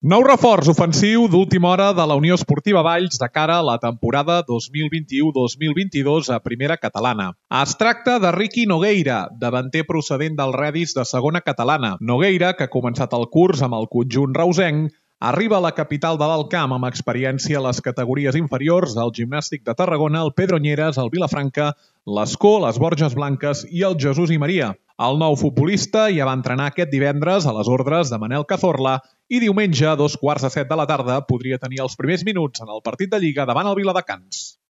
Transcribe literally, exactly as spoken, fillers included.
Nou reforç ofensiu d'última hora de la Unió Esportiva Valls de cara a la temporada dos mil vint-i-u dos mil vint-i-dos a Primera Catalana. Es tracta de Riqui Nogueira, davanter procedent del Redis de Segona Catalana. Nogueira, que ha començat el curs amb el conjunt reusenc, arriba a la capital de l'Alt Camp amb experiència a les categories inferiors del Gimnàstic de Tarragona, el Pedronyeres, el Vilafranca, l'Escó, les Borges Blanques i el Jesús i Maria. El nou futbolista ja va entrenar aquest divendres a les ordres de Manel Cazorla i diumenge, a dos quarts de set de la tarda, podria tenir els primers minuts en el partit de Lliga davant el Viladecans.